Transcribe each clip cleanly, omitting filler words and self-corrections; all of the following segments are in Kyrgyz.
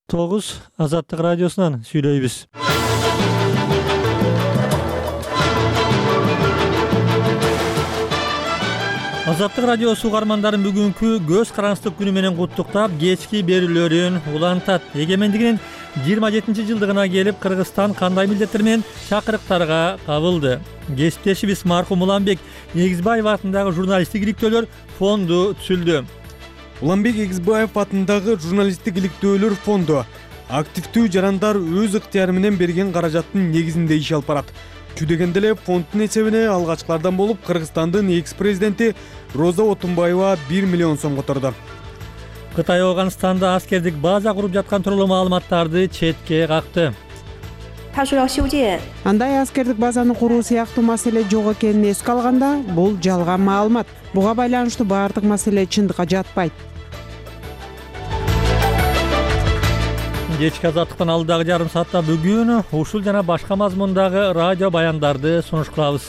9 Азаттык радиосунан сүйлөйбүз. Азаттык радиосу угармандарын бүгүнкү көз караңсыздык күнү менен куттуктап, кечки берүүлөрүн улантат. Эгемендигинин 27-жылдыгына келип, Кыргызстан кандай милдеттер менен чакырыктарга кабылды? Кесиптешибиз маркум Уланбек Эгизбаев атындагы журналисттик иликтөөлөр фонду түзүлдү. Уланбек Эгизбаев атындагы журналисттик иликтөөлөр фонду активдүү жарандар өз ыктыяры менен берген каражаттын негизинде иш алып барат. Жүдөгенде эле фонддун эсебине алгачкылардан болуп Кыргызстандын экс-президенти Роза Отунбаева 1 миллион сом которду. Кытай Афганистанда аскердик база куруп жаткан тууралуу маалыматтарды четке какты. Андай аскердик базаны куруу сыяктуу маселе жок экенин эске алганда, бул жалган маалымат. Буга байланыштуу баардык маселе чындыкка жатпайт. Кечки азаттыктан алдыдагы жарым саатта бүгүн ушул жана башка мазмундагы радио баяндарды сунуш кылабыз.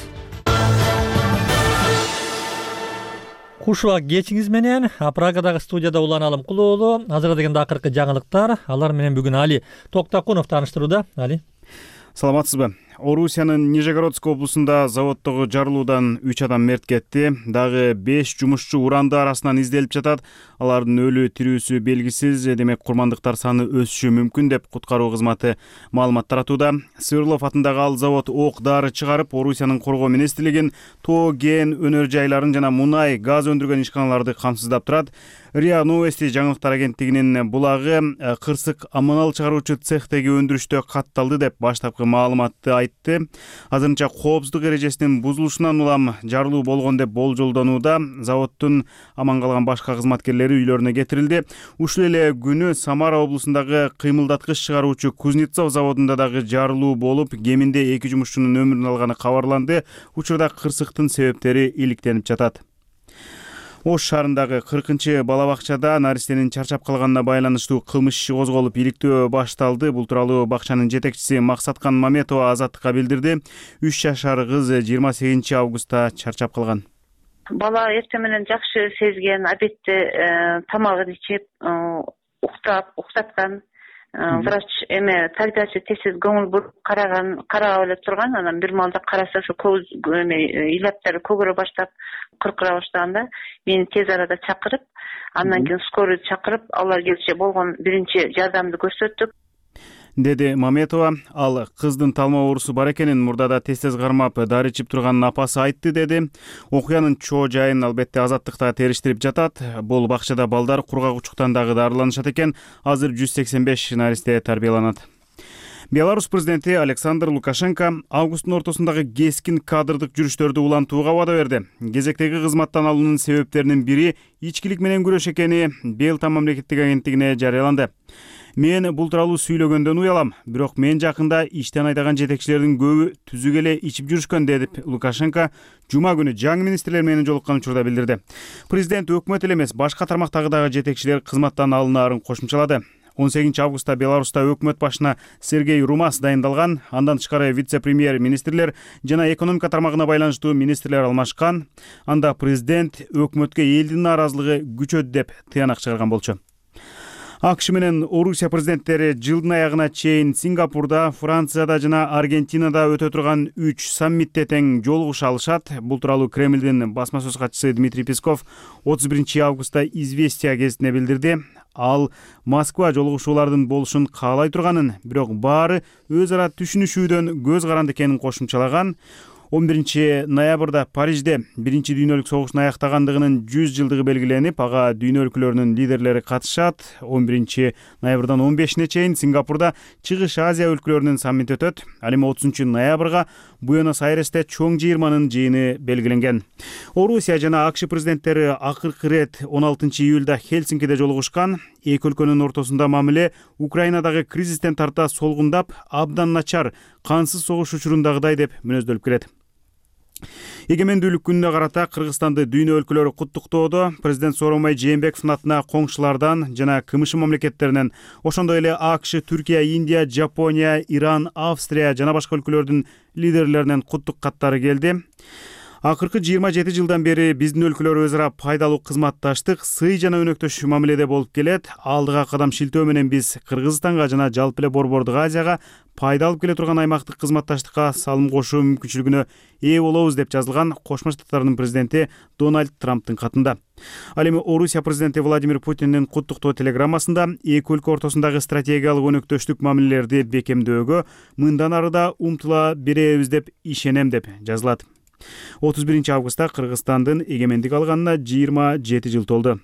Куш убак кечиңиз менен Прагадагы студияда Улан Алымкулуулу. Азыркы дегенде акыркы жаңылыктар. Алар менен бүгүн Али Токтакунов тааныштырууда. Али. Саламатсызбы? Орусиянын Нижегородск облусунда заводдогу жарылуудан 3 адам мерт кетти. Дагы 5 жумушчу уранды арасынан изделип жатат. Алардын өлүү тирүүсү белгисиз. Демек курмандыктар саны өсүшү мүмкүн деп куткаруу кызматы маалымат таратууда. Сверлов атындагы ал завод ок дары чыгарып, Орусиянын коргоо министрлигин, тоо кен өнөр жайларын жана мунай, газ өндүргөн ишканаларды камсыздап турат. РИА Новости жаңылыктар агенттигинин булагы кырсык аманал чыгаруучу цехтеги өндүрүштө катталды деп баштапкы маалыматты айтты. Азырынча коопсуздук эрежесинин бузулушунан улам жарылуу болгон деп болжолдонууда. Заводдун аман калган башка кызматкерлери үйлөрүнө кетирилди. Ушул эле күнү Самара облусундагы кыймылдаткыч чыгаруучу Кузнецов заводунда дагы жарылуу болуп, кеминде 2 жумушчунун өмүрүн алганы кабарланды. Учурда кырсыктын себептери иликтенип жатат. Ош шаарындагы 40-чы бала бакчада наристенин чарчап калганына байланыштуу кылмыш иши козголуп, иликтөө башталды. Бул тууралуу бакчанын жетекчиси Максаткан Маметова Азаттыкка билдирди. 3 жашар кыз 28 августта чарчап калган. Бала эртең менен жакшы сезген, обедте тамагын ичип, уктаткан. Врач тагдачы тез көңүл буруп карап эле турган. Анан бир маалда караса ошо көз илаптары көгөрө баштап, кыркыра баштаганда мени тез арада чакырып, андан кийин скорый чакырып, алар келиши болгон биринчи жардамды көрсөттүк, деди Маметова. Ал кыздын талма оорусу бар экенин мурдада тез кармап дары ичип турганын апасы айтты, деди. Окуянын чоо жайын албетте Азаттыкта териштирип жатат. Бул бакчада балдар кургагучтуктан дагы дарыланышат экен. Азыр 185 наристе тарбияланат. Беларусь президенти Александр Лукашенко августтун ортосундагы кескин кадрдык жүрүштөрдү улантууга убада берди. Кезектеги кызматтан алуунун себептеринин бири ичкилик менен күрөш экени Белтам мамлекеттик агенттигине жарыяланды. Мен бул тууралуу сүйлөгөндөн уялам, бирок мен жакында иштен айдаган жетекчилердин көбү түзүк эле ичип жүрүшкөн, деп Лукашенко жума күнү жаңы министрлер менен жолуккан учурда билдирди. Президент өкмөт эле эмес, башка тармактагы дагы жетекчилер кызматтан алынаарын кошумчалады. 18 августта Беларуста өкмөт башына Сергей Румас дайындалган. Андан тышкары вице-премьер министрлер жана экономика тармагына байланыштуу министрлер алмашкан. Анда президент өкмөткө элдин нааразылыгы күчөдү деп тыянак чыгарган болчу. АКШ менен Орусия президенттери жылдын аягына чейин Сингапурда, Францияда жана Аргентинада өтө турган 3 саммитте тең жолугуша алышат. Бул тууралуу Кремлдин басма сөз катчысы Дмитрий Песков 31 августта Известия гезитине билдирди. Ал Москва жолугушуулардын болушун каалай турганын, бирок баары өз ара түшүнүшүүдөн көз каранды экенин кошумчалаган. 11 ноябрда Парижде биринчи дүйнөлүк согуштун аяктагандыгынын 100 жылдыгы белгиленип, ага дүйнө өлкөлөрүнүн лидерлери катышат. 11 ноябрдан 15-не чейин Сингапурда Чыгыш Азия өлкөлөрүнүн саммити өтөт. Ал эми 30 ноябрга Буэнос-Айресте чоң жыйырманын жыйыны белгиленген. Орусия жана АКШ президенттери акыркы ирет 16 июлда Хельсинкиде жолугушкан. Эки өлкөнүн ортосунда мамиле Украинадагы кризистен тарта солгундап, абдан начар, кансыз согуш учурундагыдай деп мүнөздөлүп келет. Эгемендүүлүк күнүнө карата Кыргызстанды дүйнө өлкөлөрү куттуктоодо. Президент Сооронбай Жээнбековдун атына коңшулардан жана КМШ мамлекеттеринен, ошондой эле АКШ, Түркия, Индия, Жапония, Иран, Австрия жана башка өлкөлөрдүн лидерлеринен куттук каттары келди. Акыркы 27 жылдан бери биздин өлкөлөр өз ара пайдалуу кызматташтык, сый жана өнөктөш мамиледе болуп келет. Алдыга кадам шилтөө менен биз Кыргызстанга жана жалпы эле Борбордук Азияга пайда алып келе турган аймактык кызматташтыкка салым кошуу мүмкүнчүлүгүнө ээ болобуз деп жазылган Кошмо Штаттардын президенти Дональд Трамптын катында. Ал эми Орусия президенти Владимир Путиндин куттуктоо телеграммасында эки өлкө ортосундагы стратегиялык өнөктөштүк мамилелерди бекемдөөгө мындан ары да умтула беребиз деп ишенем деп жазылат. 31 августта Кыргызстандын эгемендик алганына 27 жыл толду.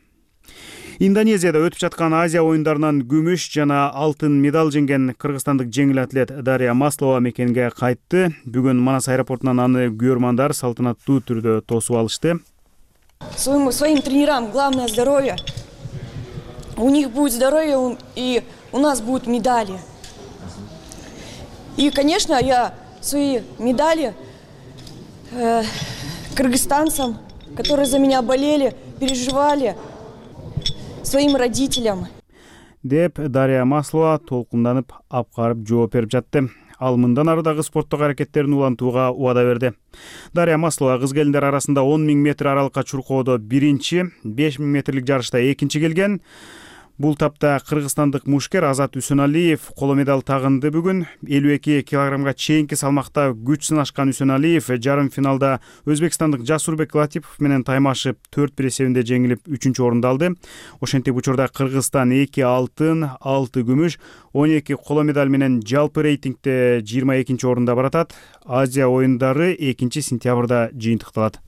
Индонезияда өтүп жаткан Азия оюндарынан күмүш жана алтын медаль жеңген кыргызстандык жеңил атлет Дарья Маслова мекенге кайтты. Бүгүн Манас аэропортунан аны күйөрмандар салтанаттуу түрдө тосуп алышты. Своим тренерам главное здоровье. У них будет здоровье, и у нас будут медали. И, конечно, я свои медали кыргызстанцам, которые за меня болели, переживали, своим родителям. Деп Дарья Маслова толкунданып апкарып жооп берип жатты. Ал мындан ары дагы спорттук аракеттерин улантууга убада берди. Дарья Маслова кыз келиндер арасында 10 000 метр аралыкка чуркоодо биринчи, 5 000 метрлик жарышта экинчи келген. Бул тапта кыргызстандык мушкер Азат Үсөналиев коло медаль тагынды бүгүн. 52 килограммга чейинки салмакта күч сынашкан Үсөналиев жарым финалда өзбекстандык Жасурбек Латипов менен таймашып 4-1 эсебинде жеңилип 3-чү орунду алды. Ошентип учурда Кыргызстан 2 алтын, 6 күмүш, 12 коло медаль менен жалпы рейтингде 22-чи орунда баратат. Азия оюндары 2-сентябрда жыйынтыкталат.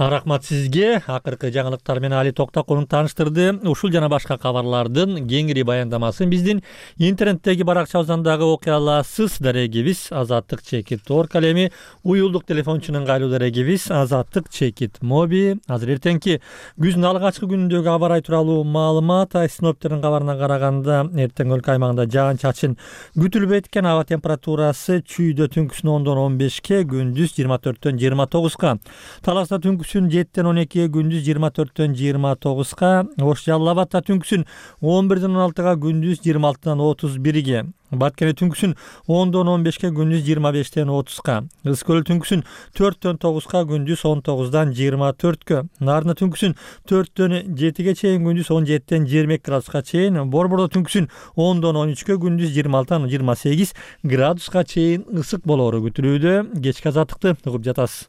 Рахмат сизге. Акыркы жаңылыктар менен Али Токтакулов тааныштырды. Ушул жана башка кабарлардын кеңири баяндамасын биздин интернеттеги баракчабыздан дагы окуя аласыз. Дарегибиз #azаттык_org. Эми уюлдук телефончунун кайлуу дарегибиз #azаттык_mobi. Азыр эртеңки күздүн алгачкы күнүндөгү аба ырайы тууралуу маалымат. Синоптиктердин кабарына караганда эртең өлкө аймагында жаан-чачын күтүлбөйт экен. Аба температурасы чүйдө түнкүсүн 10-дон 15ке, күндүз 24-төн 29ка. Таласта түнкүсүн 7-тен 12ге, күндүз 24-төн 29ка. Ош Жалал Абадта түнкүсүн 11-ден 16га, күндүз 26-дан 31ге. Баткене түнкүсүн 10-дон 15ке, күндүз 25-тен 30ка. Ысык-Көл түнкүсүн 4-төн 9ка, күндүз 19-дан 24кө. Нарына түнкүсүн 4-төн 7ге чейин, күндүз 17-тен 22 градуска чейин. Борбордо түнкүсүн 10-дон 13кө, күндүз 26-тан 28 градуска чейин ысык болоору күтүлүүдө. Кечки азаттыкты угуп жатасыз.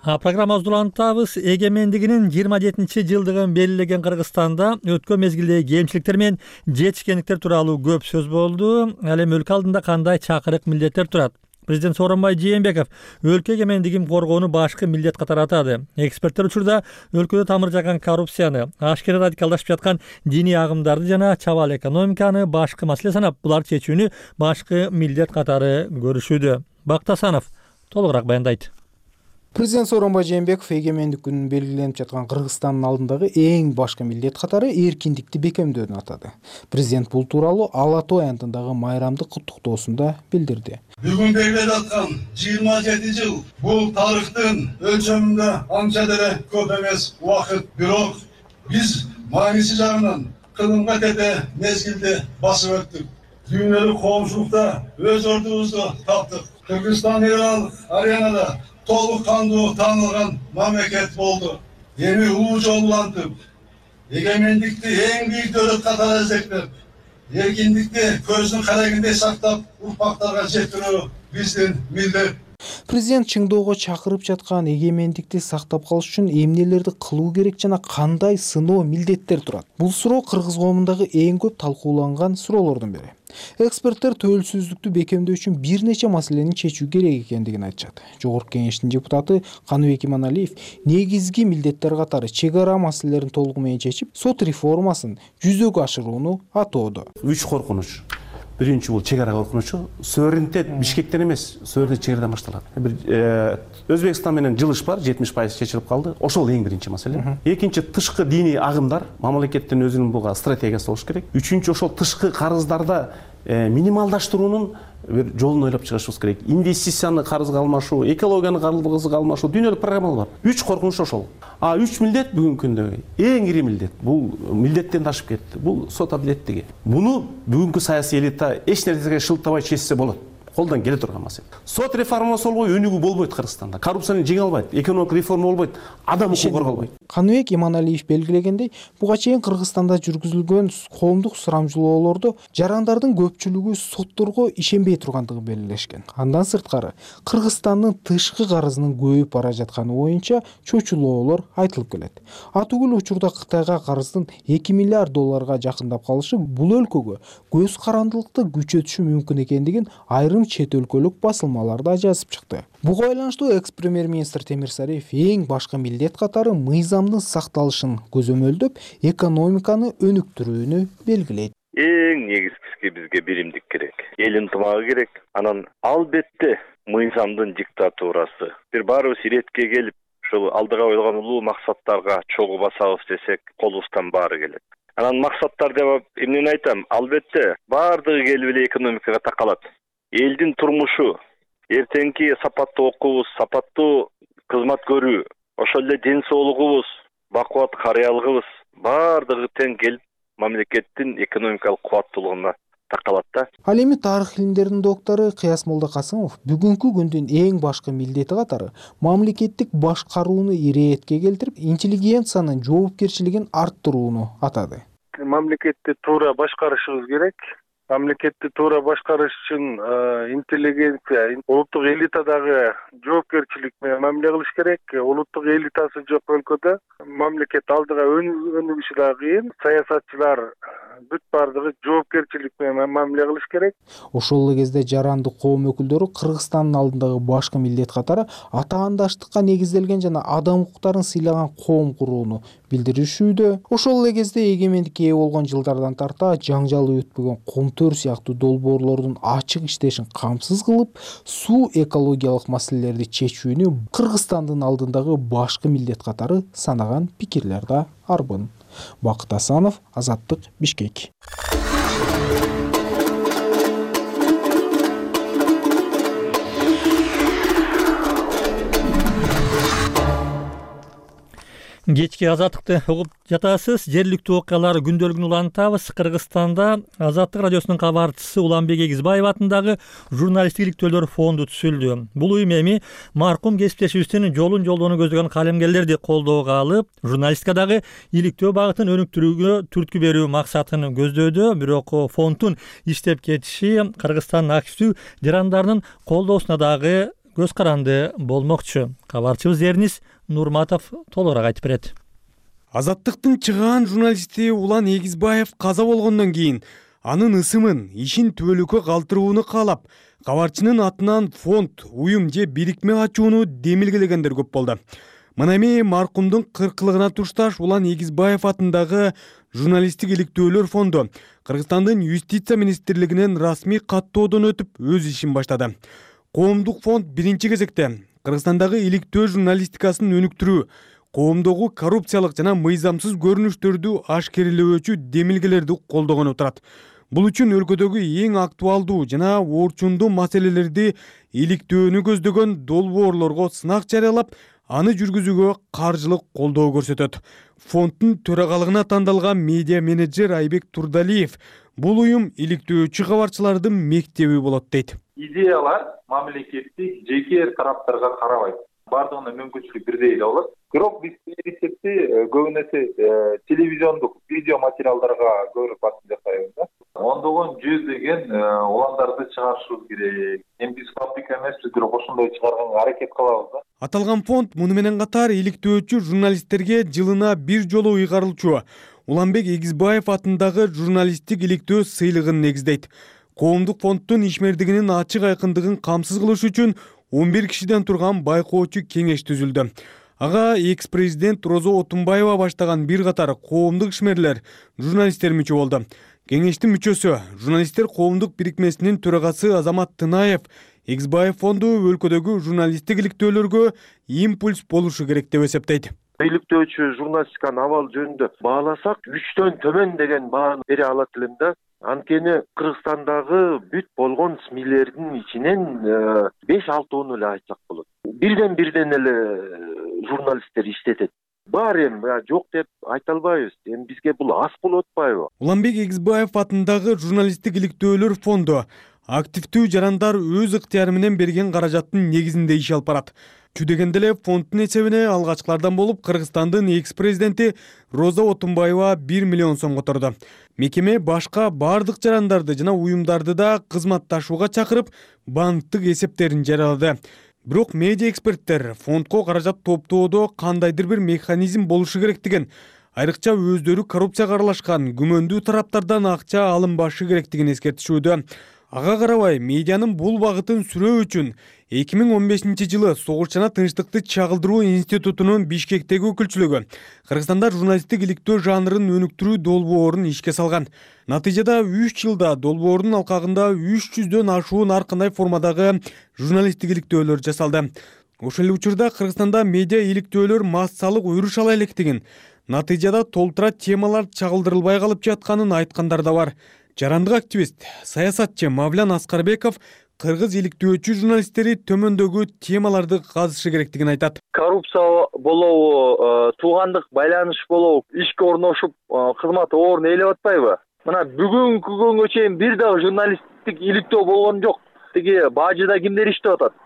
Программабызды улантабыз. Эгемендигинин 27-жылдыгын белгилеген Кыргызстанда өткөн мезгилдеги кемчиликтер менен жетишкендиктер тууралуу көп сөз болду. Ал эми өлкө алдында кандай чакырык милдеттер турат? Президент Сооронбай Жээнбеков өлкө эгемендигин коргоону башкы милдет катары атады. Эксперттер учурда өлкөдө тамыр жаган коррупцияны, ашкера радикалдашып жаткан диний агымдарды жана чабал экономиканы башкы маселе санап, буларды чечүүнү башкы милдет катары көрүшүүдө. Бактасанов толугураак баяндайт. Президент Сооронбай Жээнбеков эгемендик күнүн белгиленип жаткан Кыргызстандын алдындагы эң башкы милдет катары эркиндикти бекемдөөнү атады. Президент бул тууралуу Ала Той аянтындагы майрамдык куттуктоосунда билдирди. Бүгүн белгилеп аткан 27 жыл бул тарыхтын өлчөмүндө анча деле көп эмес убакыт, бирок биз мааниси жагынан кылымга тете мезгилди басып өттүк. Дүйнөлүк коомчулукта өз ордубузду таптык. Кыргызстан аренада толук кандуу таанылган мамлекет болду. Эми улуу жол улантып, эгемендикти эң бийик дөлөт катары эзектеп, эркиндикти көздүн карегиндей сактап, урпактарга жеткирүү биздин милдет. Президент чыңдоого чакырып жаткан эгемендикти сактап калыш үчүн эмнелерди кылуу керек жана кандай сыноо милдеттер турат? Бул суроо кыргыз коомундагы эң көп талкууланган суроолордун бири. Эксперттер төөлсүздүктү бекемдөө үчүн бир нече маселени чечүү керек экендигин айтышат. Жогорку кеңештин депутаты Каныбек Иманалиев негизги милдеттер катары чек ара маселелерин толугу менен чечип, сот реформасын жүзөгө ашырууну атоодо. 3 коркунуч. Биринчи бул чек ара коркунучу. Суверенитет Бишкектен эмес, суверенитет чек арадан башталат. Өзбекстан менен жылыш бар, 70% чечилип калды. Ошол эң биринчи маселе. Экинчи тышкы диний агымдар, мамлекеттин өзүнүн буга стратегиясы болуш керек. Үчүнчү ошол тышкы карыздарда минималдаштыруунун бир жолун ойлоп чыгышыбыз керек. Инвестицияны карызга алмашуу, экологияны карызга алмашуу, дүйнөлүк программалар бар. 3 коркунуч ошол. 3 милдет бүгүнкү күндөгү эң ири милдет. Бул милдеттен ташып кетти. Бул сот адилеттиги. Буну бүгүнкү саясий элита эч нерсеге шылтабай чечсе болот. Колдон келе турган маселе. Сот реформасы болбой өнүгүү болбойт Кыргызстанда. Коррупцияны жеңе албайт, экономик реформа болбойт, адам укугу корголбойт. Каныбек Иманалиев белгилегендей, буга чейин Кыргызстанда жүргүзүлгөн коомдук сурамжылоолордо жарандардын көпчүлүгү сотторго ишенбей тургандыгы белгилешкен. Андан сырткары, Кыргызстандын тышкы карызынын көбөйүп бара жатканы боюнча чочулоолор айтылып келет. Атүгүл учурда Кытайга карыздын 2 миллиард долларга жакындап калышы бул өлкөгө көз карандылыкты күчөтүшү мүмкүн экендигин айрым чет өлкөлүк басылмаларда жазып чыкты. Буга байланыштуу экс-премьер-министр Темирсариев эң башкы милдет катары мыйзамдын сакталышын көзөмөлдөп, экономиканы өнүктүрүүнү белгилейт. Эң негизгиси бизге биримдик керек. Эл ынтымагы керек. Анан албетте мыйзамдын диктатурасы. Бир баарыбыз иретке келип, ушул алдыга коюлган улуу максаттарга чогуу басабыз десек, колубуздан баары келет. Анан максаттар деп эмнени айтам? Албетте баардыгы келип эле экономикага такалат. Элдин турмушу, эртеңки сапаттуу окуубуз, сапаттуу кызмат көрүү, ошол эле ден соолугубуз, бакубат карыялыгыбыз баардыгы тең келип мамлекеттин экономикалык кубаттуулугуна такалат да. Ал эми тарых илимдеринин доктору Кыяс Молдокасымов бүгүнкү күндүн эң башкы милдети катары мамлекеттик башкарууну иретке келтирип, интеллигенциянын жоопкерчилигин арттырууну атады. Мамлекетти туура башкарышыбыз керек. Мамлекетти туура башкарыш үчүн интеллигенция, улуттук элитадагы жоопкерчилик менен мамиле кылыш керек. Улуттук элитасы жок өлкөдө мамлекет алдыга өнүгүшү да кыйын. Саясатчылар бүт баардыгы жоопкерчилик менен мамиле кылыш керек. Ошол эле кезде жаранды коом өкүлдөрү Кыргызстандын алдындагы башкы милдет катары атаандаштыкка негизделген жана адам укуктарын сыйлаган коом курууну билдиришүүдө. Ошол эле кезде эгемендикке ээ болгон жылдардан тарта жаңжалы өтпөгөн Комтөр сыяктуу долбоорлордун ачык иштешин камсыз кылып, суу экологиялык маселелерди чечүүнү Кыргызстандын алдындагы башкы милдет катары санаган пикирлер да арбын. Бакыт Асанов, Азаттык, Бишкек. Кечки Азаттыкты угуп жатасыз. Жергиликтүү окуялар күндөлүгүн улантабыз. Кыргызстанда Азаттык радиосунун кабарчысы Уланбек Эгизбаев атындагы журналисттик иликтөөлөр фонду түзүлдү. Бул уюм эми маркум кесиптешибиздин жолун жолдоону көздөгөн калемгерлерди колдоого алып, журналистикадагы иликтөө багытын өнүктүрүүгө түрткү берүү максатын көздөдү. Бирок фонддун иштеп кетиши Кыргызстандын активдүү жарандарынын колдоосуна дагы көз каранды болмокчу. Кабарчыбыз Эрнис Нурматов толугураак айтып берет. Азаттыктын чыгаан журналисти Улан Эгизбаев каза болгондон кийин анын ысымын, ишин түбөлүккө калтырууну каалап, кабарчынын атынан фонд, уюм же бирикме ачууну демилгелегендер көп болду. Мына эми маркумдун 40-лыгына тушташ Улан Эгизбаев атындагы журналисттик иликтөөлөр фонду Кыргызстандын юстиция министрлигинен расмий каттоодон өтүп өз ишин баштады. Коомдук фонд биринчи кезекте Кыргызстандагы иликтөө журналистикасын өнүктүрүү, коомдогу коррупциялык жана мыйзамсыз көрүнүштөрдү ашкерелөөчү демилгелерди колдогон турат. Бул үчүн өлкөдөгү эң актуалдуу жана орчундуу маселелерди иликтөөнү көздөгөн долбоорлорго сынак жарыялап, аны жүргүзүүгө каржылык колдоо көрсөтөт. Фонддун төрагалыгына тандалган медиа менеджер Айбек Турдалиев бул уюм иликтөөчү кабарчылардын мектеби болот дейт. Идеялар мамлекеттик жеке тараптарга карабайт. Бардыгына мүмкүнчүлүк бирдей эле болот. Бирок биз эсепти көбүн эсе телевизиондук видео материалдарга көбүрөөк басым жасайбыз да. Ондогон жүздөгөн уландарды чыгарышыбыз керек. Эми биз фабрика эмеспиз, бирок ошондой чыгарганга аракет кылабыз да. Аталган фонд муну менен катар иликтөөчү журналисттерге жылына бир жолу ыйгарылчу Уланбек Эгизбаев атындагы журналисттик иликтөө сыйлыгын негиздейт. Коомдук фонддун ишмердигинин ачык айкындыгын камсыз кылыш үчүн 11 кишиден турган байкоочу кеңеш түзүлдү. Ага экс-президент Розо Отунбаева баштаган бир катар коомдук ишмерлер, журналисттер мүчө болду. Кеңештин мүчөсү, журналисттер коомдук бирикмесинин төрагасы Азамат Тынаев Эгизбаев фонду өлкөдөгү журналисттик иликтөөлөргө импульс болушу керек деп эсептейт. Иликтөөчү журналистиканын абалы жөнүндө бааласак, 3төн төмөн деген бааны бере алат элем да. Анткени Кыргызстандагы бүт болгон СМИлердин ичинен 5-6 эле айтсак болот. Бирден эле журналисттер иштетет. Бар эми жок деп айта албайбыз. Эми бизге бул аз болуп атпайбы? Уланбек Эгизбаев атындагы журналисттик иликтөөлөр фонду активдүү жарандар өз ыктыяры менен берген каражаттын негизинде иш алып барат. Чүдегенде эле фонддун эсебине алгачкылардан болуп Кыргызстандын экс-президенти Роза Отунбаева 1 миллион сом которду. Мекеме башка бардык жарандарды жана уюмдарды да кызматташууга чакырып, банктык эсептерин жарыялады. Бирок медиа эксперттер фондко каражат топтоодо кандайдыр бир механизм болушу керектигин, айрыкча өздөрү коррупцияга аралашкан күмөндүү тараптардан акча алынбашы керектигин эскертишүүдө. Ага карабай, медианын бул багытын сүрөө үчүн 2015-жылы Согуш жана тынчтыкты чагылдыруу институтунун Бишкектеги өкүлчүлүгү Кыргызстанда журналисттик иликтөө жанрын өнүктүрүү долбоорун ишке салган. Натыйжада 3 жылда долбоордун алкагында 300дөн ашуун ар кандай формадагы журналисттик иликтөөлөр жасалды. Ошол эле учурда Кыргызстанда медиа иликтөөлөр массалык өрүш ала электигин, натыйжада толтура темалар чагылдырылбай калып жатканын айткандар да бар. Жарандык активист, саясатчы Мавлян Аскарбеков кыргыз иликтөөчү журналисттери төмөндөгү темаларды казышы керектигин айтат. Коррупция болобу, туугандык байланыш болобу, ишке орношуп кызмат орун ээлеп атпайбы? Мына бүгүнкү күнгө чейин бир дагы журналисттик иликтөө болгон жок. Тиги бажыда кимдер иштеп атат?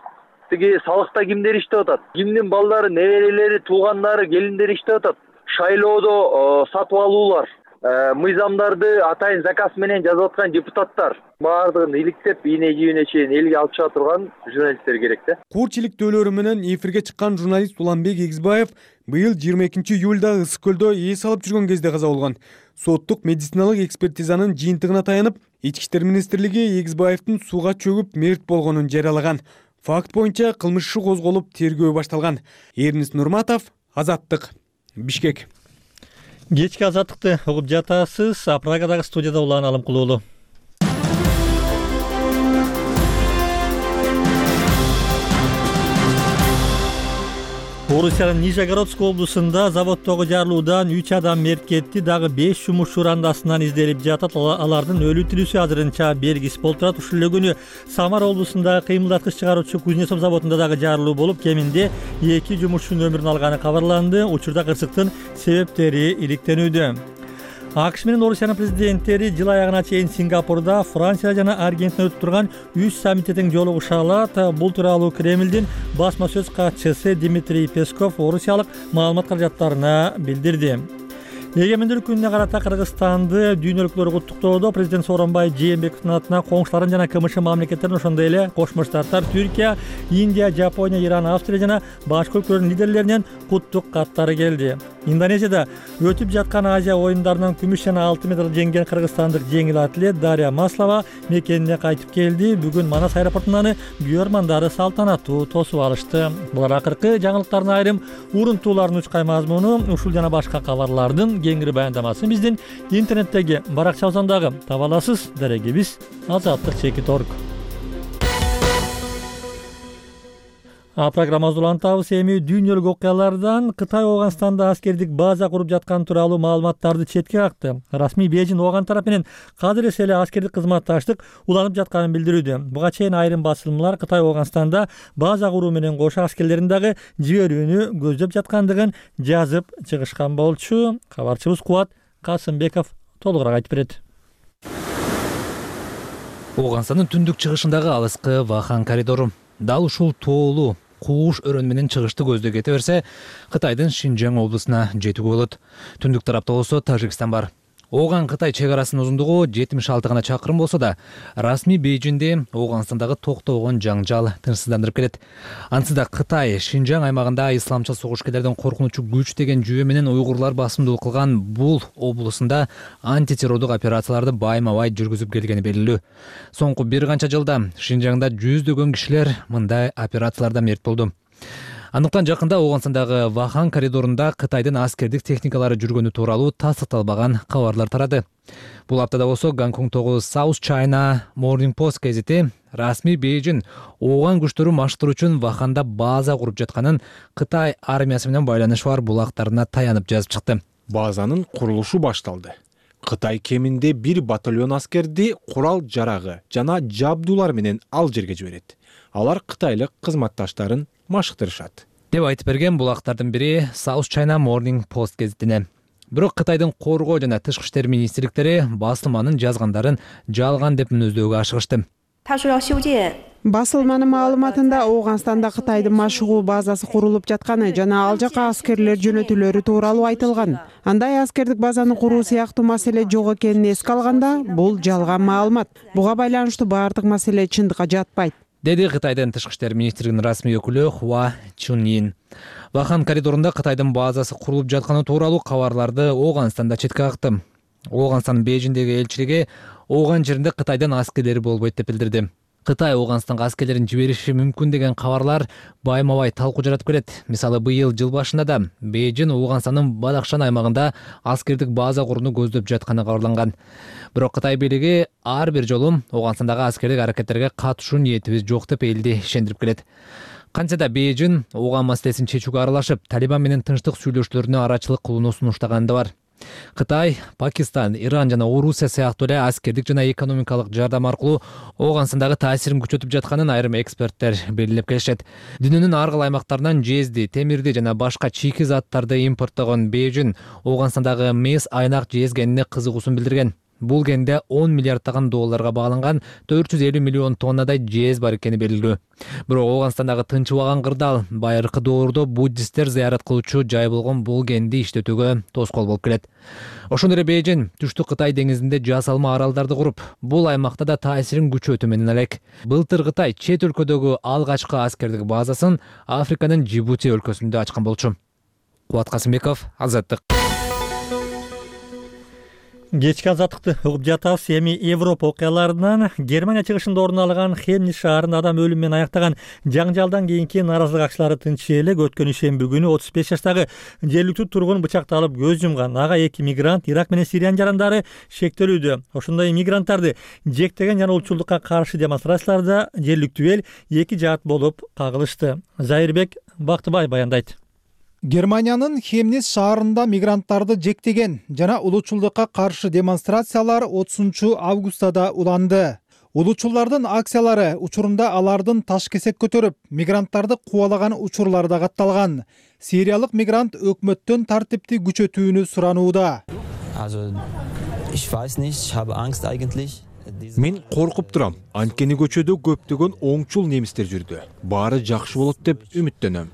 Тиги салыкта кимдер иштеп атат? Кимдин балдары, неберелери, туугандары, келиндери иштеп атат? Шайлоодо сатып алуулар, мыйзамдарды атайын заказ менен жазып аткан депутаттар баардыгын иликтеп, ийне жибине чейин элге алып чыга турган журналисттер керек да. Курч иликтөөлөрү менен эфирге чыккан журналист Уланбек Эгизбаев быйыл 22-июлда Ысык көлдө эс алып жүргөн кезде каза болгон. Соттук медициналык экспертизанын жыйынтыгына таянып, Ички иштер министрлиги Эгизбаевдин сууга чөгүп мерт болгонун жарыялаган. Факт боюнча кылмыш иши козголуп, тергөө башталган. Эрнис Нурматов, Азаттык, Бишкек. Кечки Азаттыкты угуп жатасыз. Прагадагы студияда Улан Алымкулуулу. Орусиянын Нижегородск облусунда заводдогу жарылуудан 3 адам мерт кетти, дагы 5 жумушчу андасынан изделип жатат. Алардын өлүү тирүүсү азырынча белгисиз болуп турат. Ушул эле күнү Самара облусундагы кыймылдаткыч чыгаруучу Кузнецов заводунда дагы жарылуу болуп, кеминде 2 жумушчунун өмүрүн алганы кабарланды. Учурда кырсыктын себептери иликтенүүдө. АКШ менен Орусиянын президенттери жыл аягына чейин Сингапурда, Франция жана Аргентинада өтүп турган 3 саммитте тең жолугушалат. Бул тууралуу Кремлдин басма сөз катчысы Дмитрий Песков орусиялык маалымат каражаттарына билдирди. Эгемендүүлүк күнүнө карата Кыргызстанды дүйнөлүктөр куттуктоодо президент Сооронбай Жээнбековдун атына коңшуларын жана КМШ мамлекеттерин, ошондой эле Кошмо Штаттар, Түркия, Индия, Жапония, Иран, Австрия жана башка өлкөлөрдүн лидерлеринен куттук каттары келди. Индонезияда өтүп жаткан Азия оюндарынан күмүш жана алтын медаль жеңген кыргызстандык жеңил атлет Дарья Маслова мекенине кайтып келди. Бүгүн Манас аэропортунан күйөрмандары салтанаттуу тосуп алышты. Булар акыркы жаңылыктардын айрым урунтууларынын үч кай мазмуну. Ушул жана башка кабарлардын кеңири баяндамасын биздин интернеттеги баракчабыздан дагы таба аласыз. Дарегибиз Азаттык.org. Программабызды улантабыз. Эми дүйнөлүк окуялардан Кытай Ооганстанда аскердик база куруп жаткан тууралуу маалыматтарды четке какты. Расмий Бейжин Ооган тарап менен казыр эле аскердик кызматташтык уланып жатканын билдирүүдө. Буга чейин айрым басылымдар Кытай Ооганстанда база куруу менен кошо аскерлерин дагы жиберүүнү көздөп жаткандыгын жазып чыгышкан болчу. Кабарчыбыз Кубат Касымбеков толугураак айтып берет. Ооганстандын түндүк чыгышындагы алыскы Вахан коридору дал ушул тоолуу кууш өрөн менен чыгышты көздө кете берсе, Кытайдын Шинжаң облусуна жетүүгө болот. Түндүк тарапта болсо Тажикстан бар. Ооган Кытай чек арасынын узундугу 76 гана чакырым болсо да, расмий Бейжинде Ооганстандагы токтогон жаңжал тынчсыздандырып келет. Ансыда Кытай Шинжаң аймагында исламчыл согушкерлердин коркунучу күч деген жүйө менен уйгурлар басымдуулук кылган бул облусунда антитеррордук операцияларды байма-бай жүргүзүп келгени белгилүү. Соңку бир канча жылда Шинжаңда жүздөгөн кишилер мындай операцияларда мерт болду. Андыктан жакында Ооганстандагы Вахан коридорунда Кытайдын аскердик техникалары жүргөнү тууралуу тастыкталбаган кабарлар тарады. Бул аптада болсо Гонконгдогу South China Morning Post газети расмий Бейжин Ооган күчтөрү маштыруу үчүн Ваханда база куруп жатканын Кытай армиясы менен байланышы бар булактарына таянып жазып чыкты. Базанын курулушу башталды. Кытай кеминде 1 батальон аскерди курал жарагы жана жабдуулар менен ал жерге жиберет. Алар кытайлык кызматташтарын машыктырышат деп айтып берген булактардын бири South China Morning Post гезитине. Бирок Кытайдын коргоо жана тышкы иштер министрликтери басылманын жазгандарын жалган деп мүнөздөөгө ашыгышты. Басылманын маалыматында Ооганстанда Кытайдын машыгуу базасы курулуп жатканы жана ал жака аскерлер жөнөтүлөрү тууралуу айтылган. Андай аскердик базаны куруу сыяктуу маселе жок экенин эске алганда, бул жалган маалымат. Буга байланыштуу баардык маселе чындыкка жатпайт, деди Кытайдын тышкы иштер министрлигинин расмий өкүлү Хуа Чуньин. Вахан коридорунда Кытайдын базасы курулуп жатканы тууралуу кабарларды Ооганстанда четке какты. Ооганстандын Бейжиңдеги элчилиги Ооган жеринде Кытайдын аскерлери болбойт деп билдирди. Кытай Ооганстанга аскерлерин жибериши мүмкүн деген кабарлар байма-бай талкуу жаратып келет. Мисалы, быйыл жыл башында да Бейжиң Ооганстандын Бадахшан аймагында аскердик база курууну көздөп жатканы кабарланган. Бирок Кытай бийлиги ар бир жолу Ооганстандагы аскердик аракеттерге катышуу ниетибиз жок деп элди ишендирип келет. Кантсе да Бейжиң Ооган маселесин чечүүгө аралашып, Талибан менен тынчтык сүйлөшүүлөрүнө арачылык кылууну сунуштаганы да бар. Кытай, Пакистан, Иран жана Орусия сыяктуу эле аскердик жана экономикалык жардам аркылуу Ооганстандагы таасирин күчөтүп жатканын айрым эксперттер белгилеп келишет. Дүйнөнүн ар кайсы аймактарынан жезди, темирди жана башка чийки заттарды импорттогон Бейжиң Ооганстандагы мес айнак жез генине кызыгуусун билдирген. Бул генде 10 миллиарддаган долларга багланган 450 миллион тоннадай жез бар экени белгилүү. Бирок Ооганстандагы тынчыбаган кырдаал байыркы доордо буддисттер зыярат кылуучу жай болгон бул генди иштетүүгө тоскоол болуп келет. Ошондой эле Бейжиң түштүк Кытай деңизинде жасалма аралдарды куруп, бул аймакта да таасирин күчөтүү менен элек. Былтыр Кытай чет өлкөдөгү алгачкы аскердик базасын Африканын Жибути өлкөсүндө ачкан болчу. Кубат Касымбеков, Азаттык. Кечки азаттыкты угуп жатабыз. Эми Европа окуяларынан Германия чыгышында орун алган Хемнис шаарында адам өлүмү менен аяктаган жаңжалдан кийинки нааразылык акчылары тынч элек өткөн ишемби күнү 35 жаштагы жергиликтүү тургун бычакталып көз жумган. Ага 2 мигрант Ирак менен Сириянын жарандары шектелүүдө. Ошондой мигранттарды жектеген жана улчулдукка каршы демонстрацияларда жергиликтүү эл 2 жаат болуп кагылышты. Зайырбек Бактыбай баяндайт. Германиянын Хемнис шаарында мигранттарды жектеген жана улуучулдукка каршы демонстрациялар 30 августада уланды. Улуучулдардын акциялары учурунда алардын таш кесек көтөрүп, мигранттарды кубалаган учурлары да катталган. Сириялык мигрант өкмөттөн тартипти күчөтүүнү суранууда. Мен коркуп турам. Анткени көчөдө көптөгөн оңчул немистер жүрдү. Баары жакшы болот деп үмүттөнөм.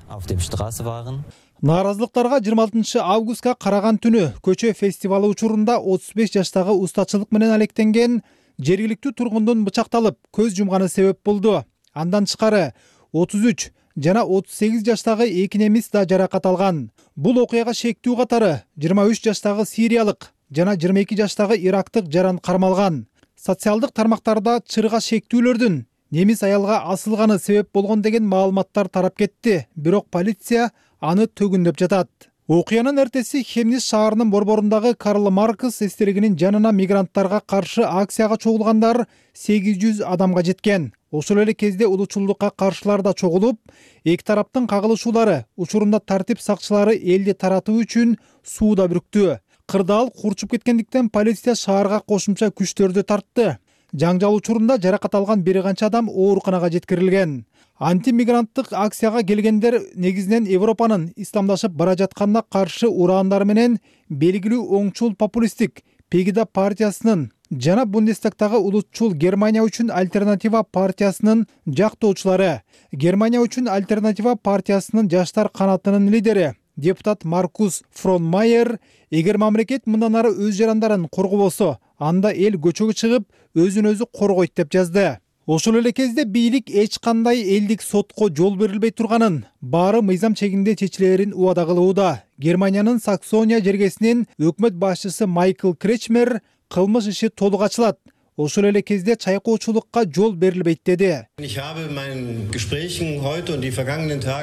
Нааразылыктарга 26 августка караган түнү көчө фестивалы учурунда 35 жаштагы устачылык менен алектенген жергиликтүү тургундун бычакталып көз жумганы себеп болду. Андан тышкары 33 жана 38 жаштагы 2 немис да жаракат алган. Бул окуяга шектүү катары 23 жаштагы сириялык жана 22 жаштагы ирактык жаран кармалган. Социалдык тармактарда чырга шектүүлөрдүн немис аялга асылганы себеп болгон деген маалыматтар тарап кетти. Бирок полиция аны төгүндөп жатат. Окуянын эртеси Хемнис шаарынын борборундагы Карл Маркс эстелигинин жанына мигранттарга каршы акцияга чогулгандар 800 адамга жеткен. Ошол эле кезде улуучулдукка каршылар да чогулуп, эки тараптын кагылышуулары учурунда тартип сакчылары элди таратуу үчүн сууда бүрктү. Кырдаал курчуп кеткендиктен полиция шаарга кошумча күчтөрдү тартты. Жаңжал учурунда жаракат алган бир канча адам ооруканага жеткирилген. Антимигранттык акцияга келгендер негизинен Европанын исламдашып бара жатканына каршы ураандары менен белгилүү оңчул популисттик Пегида партиясынын жана Бундестагтагы улутчул Германия үчүн альтернатива партиясынын жактоочулары. Германия үчүн альтернатива партиясынын жаштар канатынын лидери депутат Маркус Фронмайер, эгер мамлекет мындан ары өз жарандарын коргобосо, анда эл көчөгө чыгып, өзүн өзү коргойт деп жазды. Ошол эле кезде бийлик эч кандай элдик сотко жол берилбей турганын, баары мыйзам чегинде чечилерин убада кылууда. Германиянын Саксония жергесинин өкмөт башчысы Майкл Кречмер кылмыш иши толук ачылат. Ошол эле кезде чайкоочулукка жол берилбейт деди.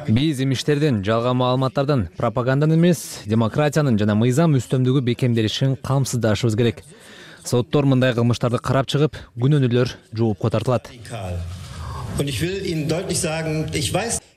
Биз имиштердин, жалган маалыматтардын, пропаганданын эмес, демократиянын жана мыйзам үстөмдүгү бекемделишин камсыздашыбыз керек. Соттор мындай кылмыштарды карап чыгып, күнөөнүүлөр жоопко тартылат.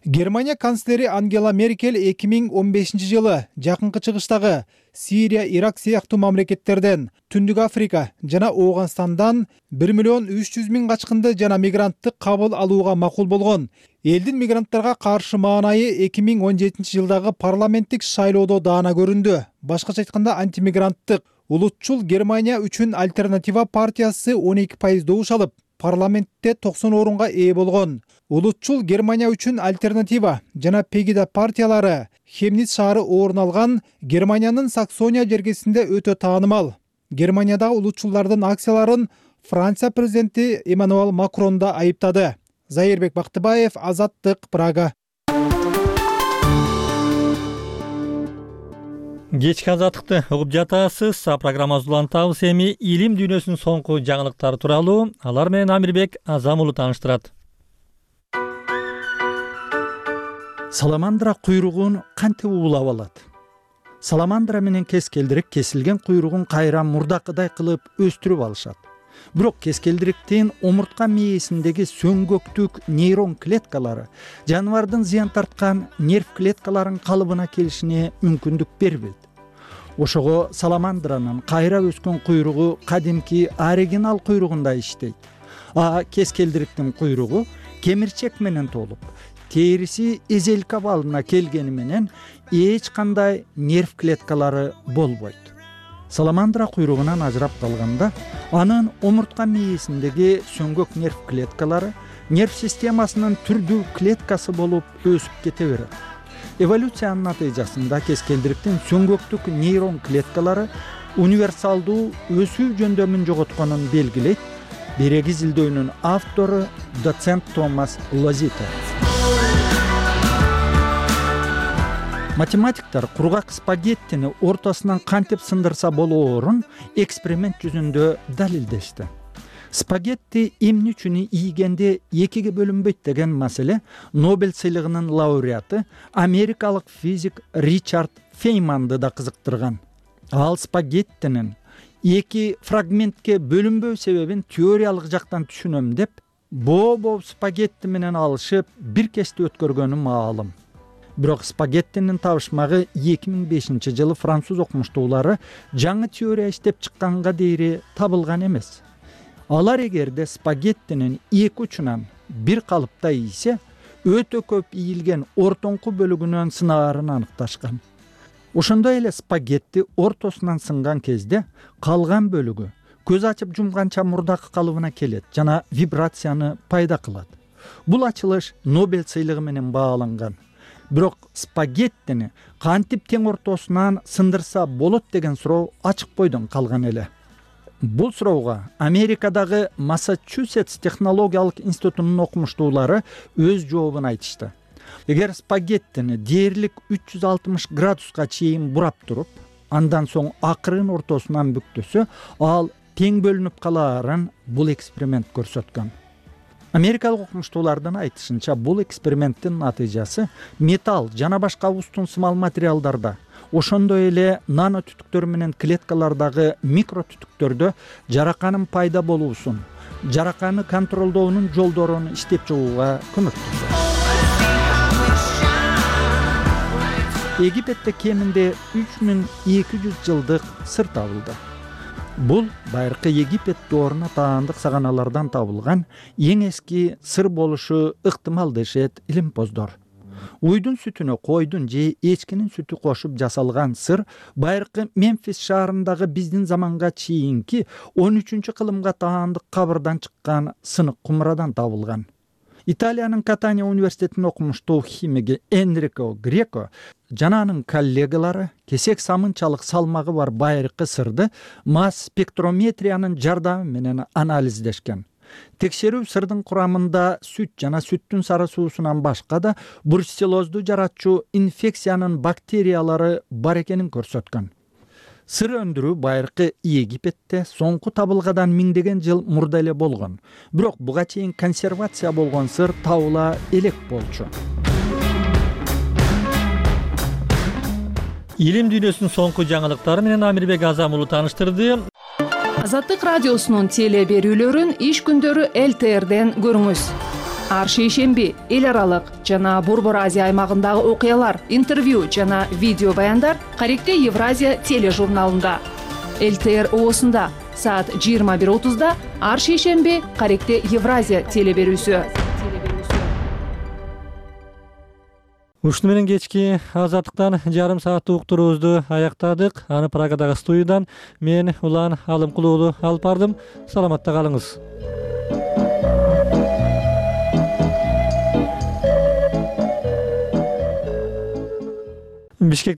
Германия канцлери Ангела Меркель 2015-жылы жакынкы чыгыштагы Сирия, Ирак сыяктуу мамлекеттерден, Түндүк Африка жана Ооганстандан 1,3 миллион качкынды жана мигрантты кабыл алууга макул болгон. Элдин мигранттарга каршы маанайы 2017-жылдагы парламенттик шайлоодо даана көрүндү. Башкача айтканда, антимигранттык улутчул Германия үчүн альтернатива партиясы 12% добуш алып, парламентте 90 орунга ээ болгон. Улутчул Германия үчүн альтернатива жана Пегида партиялары Хемниц шаары орун алган Германиянын Саксония жергесинде өтө таанымал. Германиядагы улутчулдардын акцияларын Франция президенти Эммануэль Макрон да айыптады. Зайырбек Бактыбаев, Азаттык, Прага. Кечки азаттыкты угуп жатасыз. Программабыз улантабыз. Эми илим дүйнөсүнүн соңку жаңылыктары тууралуу алар менен Амирбек Азам уулу тааныштырат. Саламандра куйругун кантип уулап алат? Саламандра менен кескелдирик кесилген куйругун кайра мурдакыдай кылып өстүрүп алышат. Бирок кескелдириктин омуртка мээсиндеги сөңгөктүк нейрон клеткалары жаныбардын зыян тарткан нерв клеткаларынын калыбына келишине мүмкүндүк бербейт. Ошого саламандранын кайра өскөн куйругу кадимки оригинал куйругундай иштейт. Кескелдириктин куйругу кемирчек менен толуп, териси эзелик абалына келгени менен эч кандай нерв клеткалары болбойт. Саламандра куйругунан ажырап калганда, анын омуртка мээсиндеги сөңгөк нерв клеткалары нерв системасынын түрдүү клеткасы болуп өсүп кете берет. Эволюциянын натыйжасында кескелдириктин сөңгөктүк нейрон клеткалары универсалдуу өсүү жөндөмүн жоготконун белгилейт. Береги изилдөөнүн автору доцент Томас Лозито. Математиктер кургак спагеттини ортосунан кантип сындырса болоорун эксперимент жүзүндө далилдешти. Спагетти эмне үчүн ийгенде экиге бөлүнбөйт деген маселе Нобель сыйлыгынын лауреаты америкалык физик Ричард Фейманды да кызыктырган. Ал спагеттинин эки фрагментке бөлүнбөө себебин теориялык жактан түшүнөм деп, боо спагетти менен алышып бир кечти өткөргөнү маалым. Бирок спагеттинин табышмагы 2005-жылы француз окумуштуулары жаңы теория иштеп чыкканга дейри табылган эмес. Алар эгерде спагеттинин эки учунан бир калыпта ийсе, өтө көп ийилген ортоңку бөлүгүнөн сынаарын аныкташкан. Ошондой эле спагетти ортосунан сынган кезде калган бөлүгү көз ачып жумганча мурдакы калыбына келет жана вибрацияны пайда кылат. Бул ачылыш Нобель сыйлыгы менен бааланган. Бирок спагеттини кантип тең ортосунан сындырса болот деген суроо ачык бойдон калган эле. Бул суроого Америкадагы Массачусетс технологиялык институтунун окумуштуулары өз жообун айтышты. Эгер спагеттини дээрлик 360 градуска чейин бурап туруп, андан соң акырын ортосунан бүктөсө, ал тең бөлүнүп калаарын бул эксперимент көрсөткөн. Америкалык окумуштуулардын айтышынча, бул эксперименттин натыйжасы металл жана башка устун-сымал материалдарда, ошондой эле нано түтүктөр менен клеткалардагы микро түтүктөрдө жараканын пайда болуусун, жараканы контролдоонун жолдорун иштеп чыгууга көмөктөшөт. Египетте кеминде 3200 жылдык сыр табылды. Бул байыркы Египет дооруна таандык саганалардан табылган эң эски сыр болушу ыктымал дешет илимпоздор. Уйдун сүтүнө койдун же эчкинин сүтү кошуп жасалган сыр байыркы Мемфис шаарындагы биздин заманга чейинки 13-кылымга таандык кабырдан чыккан сынык кумрадан табылган. Италиянын Катания университетинин окумуштуу химиги Энрико Греко жана анын коллегалары кесек самынчалык салмагы бар байыркы сырды масс спектрометриянын жардамы менен анализдешкен. Текшерүү сырдын курамында сүт жана сүттүн сары суусунан башка да бруцеллозду жаратчу инфекциянын бактериялары бар экенин көрсөткөн. Сыр өндүрүү байыркы Египетте соңку табылгадан миңдеген жыл мурда эле болгон. Бирок буга чейин консервация болгон сыр табыла элек болчу. Илим дүйнөсүнүн соңку жаңылыктары менен Амирбек Азам уулу тааныштырды. Азаттык радиосунун теле берүүлөрүн иш күндөрү ЛТРден көрүңүз. ар шейшемби эл аралык жана Борбор Азия аймагындагы окуялар, интервью жана видео баяндар Каректе Евразия тележурналында. ЛТР ООсунда саат 21:30 ар шейшемби Каректе Евразия телеберүүсү. Ушуну менен кечки азаттыктан жарым сааттык уктуруубузду аяктадык. Аны Прагадагы студиядан мен Улан Алымкулуу уулу алып бардым. Саламатта калыңыз. Бишкек